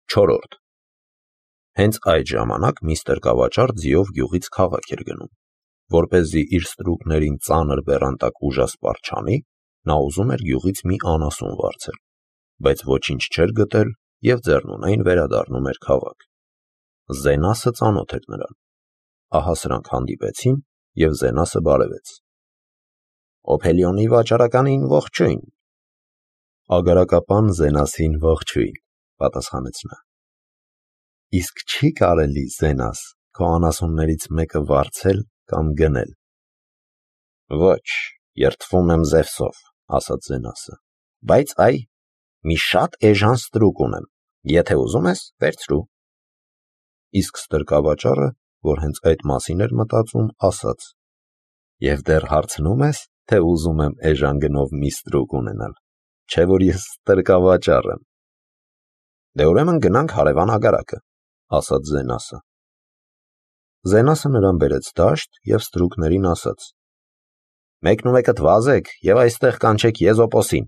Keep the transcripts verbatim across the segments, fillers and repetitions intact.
Չորրորդ Հենց այդ ժամանակ մի ստրկավաճառ ձիով գյուղից քաղաք էր գնում, որպեսզի իր ստրուկներին ծանր բեռանտակ ուժասպառ չանի, նա ուզում էր գյուղից մի անասուն վարձել, բայց ոչինչ չէր գտել և ձեռնունայն վերադառնում էր քաղաք։ Զենասը ծանոթ էր նրան, ահա սրանք հանդիպեցին և Զենասը բարևեց։ Օփելիոնի վաճառականին ողջույն։ Ագարակապան Զենասին ողջույն, պատասխանեց նա։ Իսկ չի կարելի, Զենաս, քո անասուններից մեկը վարձել կամ գնել։ Ոչ, երդվում եմ Զևսով, ասաց Զենասը, բայց այ, մի շատ էժան ստրուկ ունեմ, եթե ուզում ես, վերցրու։ Իսկ ստրկավաճառը, որ հենց այդ մասին էր մտածում, ասաց. Եվ դեռ հարցնում ես, թե ուզում եմ էժան գնով մի ստրուկ ունենալ, չէ որ ես ստրկավաճառ եմ։ Դե ուրեմն գնանք հարևան ագարակը, ասաց Զենասը։ Զենասը նրան բերեց դաշտ և ստրուկներին ասաց. Մեկնումեկդ վազեք և այստեղ կանչեք Եզոպոսին։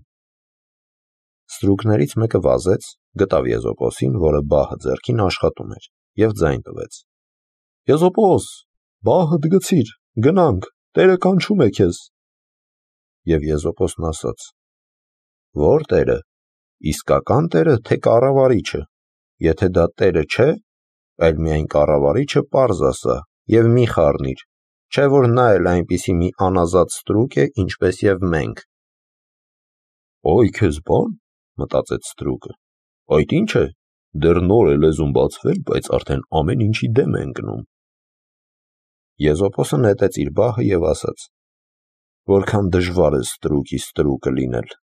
Ստրուկներից մեկը վազեց, գտավ Եզոպոսին, որը բահը ձեռքին աշխատում էր, և ձայն տվեց. Եզոպոս, բահդ գցիր, գնանք, Տերը կանչում է քեզ։ Եվ Եզոպոսն ասաց. Ո՞ր Տերը, իսկական Տերը, թե կառավարիչը, եթե դա Տերը չէ, այլ միայն կառավարիչը պարզ ասա և մի խառնիր, չէ որ նա էլ այնպիսի մի անազատ ստրուկ է, ինչպես և մենք։ Ոյ քեզ բան, մտածեց ստրուկը, այդ ինչ է, դեռ նոր է լեզուն բացվել, բայց արդեն ամեն ինչի դեմ է ընկնում։ Եզոպոսը նետեց իր բահը և ասաց. Որքան դժվար է ստրուկի ստրուկը լինել։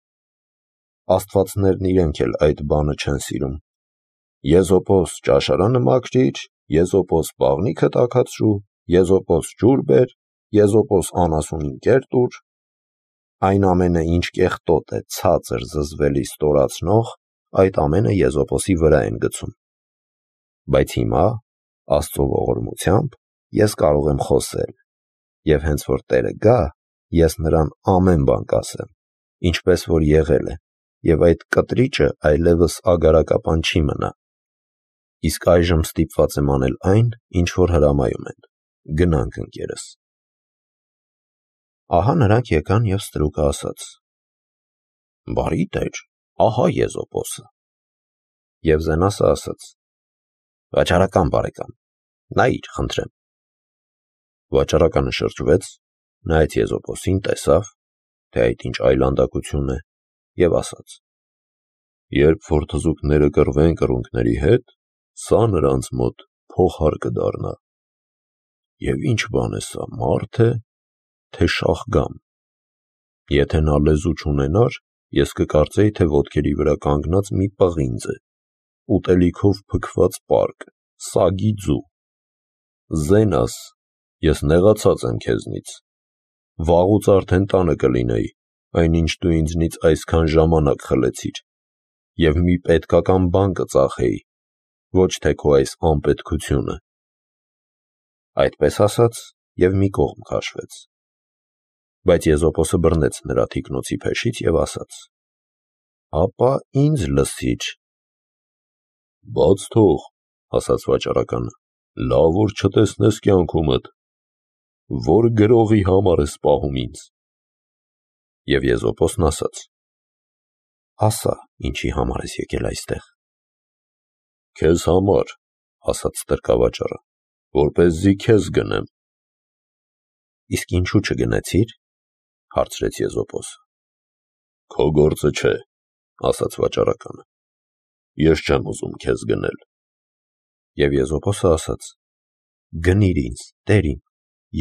Աստվածներն իրենք էլ այդ բանը չեն սիրում։ Եզոպոս ճաշարանը մաքրիր, Եզոպոս բաղնիքը տաքացրու, Եզոպոս ջուր բեր, Եզոպոս անասունին կեր տուր, այն ամենը, ինչ կեղտոտ է, ցածր, զզվելի, ստորացնող, այդ ամենը Եզոպոսի վրա են գցում։ Բայց հիմա, Աստծո ողորմությամբ, ես կարող եմ խոսել, և հենց որ Տերը գա, ես նրան ամեն բան կասեմ, ինչպես որ եղել է, և այդ կտրիճը այլևս ագարակապան չի մնա։ Իսկ այժմ ստիպված եմ անել այն, ինչ որ հրամայում են, գնանք ընկերս։ Ահա նրանք եկան և ստրուկը ասաց. Բարի Տեր, ահա Եզոպոսը։ Եվ Զենասը ասաց. Վաճառական բարեկամ, նայիր, խնդրեմ։ Վաճառականը շրջվեց, նայեց Եզոպոսին, տեսավ, թե այդ ինչ այլանդակություն է, և ասաց. Երբ որ թզուկները կռվեն կռունկների հետ, սա նրանց մոտ փոխար կդառնա։ Եվ ինչ բան է սա, մարդ է, թե շախգամ։ Եթե նա լեզու չունենար, ես կկարծեի, թե ոտքերի վրա կանգնած մի պղինձ է, ուտելիքով փքված պարկ, սագի ձու։ Զենաս, ես նեղացած եմ քեզնից։ Վաղուց արդեն տանը կլինեի, այնինչ դու ինձնից այսքան ժամանակ խլեցիր, և մի պետքական բան կծախեի, ոչ թե քո այս անպետքությունը։ Այդպես ասաց և մի կողմ քաշվեց։ Բայց Եզոպոսը բռնեց նրա թիկնոցի փեշից և ասաց. Ապա ինձ լսիր։ Բաց թող, ասաց վաճառականը, լավ որ չտեսնես կյանքումդ, որ գրողի համար ես պահում ինձ։ Եվ Եզոպոսն ասաց. Ասա, ինչի համար ես եկել այստեղ։ Քեզ համար, ասաց ստրկավաճառը, որպեսզի քեզ գնեմ։ Իսկ ինչու չգնեցիր, հարցրեց Եզոպոսը։ Քո գործը չէ, ասաց վաճառականը, ես չեմ ուզում քեզ գնել։ Եվ Եզոպոսը ասաց. Գնիր ինձ, Տեր իմ,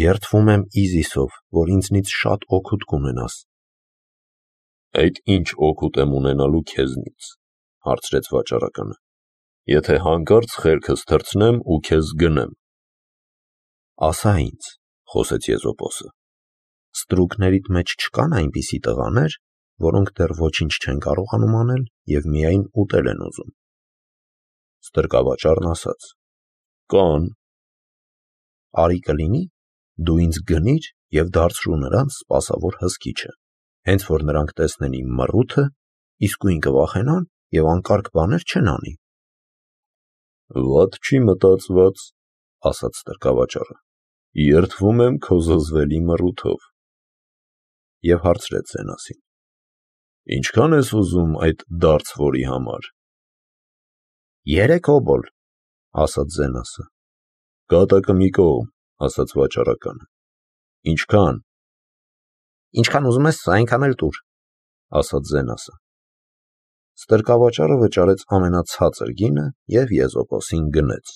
երդվում եմ Իզիսով, որ ինձնից շատ օգուտ կունենաս։ Այդ ինչ օգուտ եմ ունենալու քեզնից, հարցրեց վաճառականը, եթե հանկարծ խելքս թռցնեմ ու քեզ գնեմ։ Ասա ինձ, խոսեց Եզոպոսը, ստրուկներիդ մեջ չկան այնպիսի տղաներ, որոնք դեռ ոչինչ չեն կարողանում անել և միայն ուտել են ուզում։ Ստրկավաճառն ասաց. Կան։ Արի կլինի, դու ինձ գնիր և դարձրու նրանց սպասավոր հսկիչը, հենց որ նրանք տեսնեն իմ մռութը, իսկույն կվախենան և անկարգ բաներ չեն անի։ Վատ չի մտածված, ասաց ստրկավաճառը, երդվում եմ քո զզվելի մռութով, և հարցրեց Զենասին. ինչքան ես ուզում այդ դարձվորի համար։ Երեք օբոլ, ասաց Զենասը։ Կատակը մի կողմ, ասաց վաճառականը։ Ինչքան։ Ինչքան ուզում ես, այնքան էլ տուր, ասաց Զենասը։ Ստրկավաճառը վճարեց ամենացածր գինը և եզոպոսին գնեց։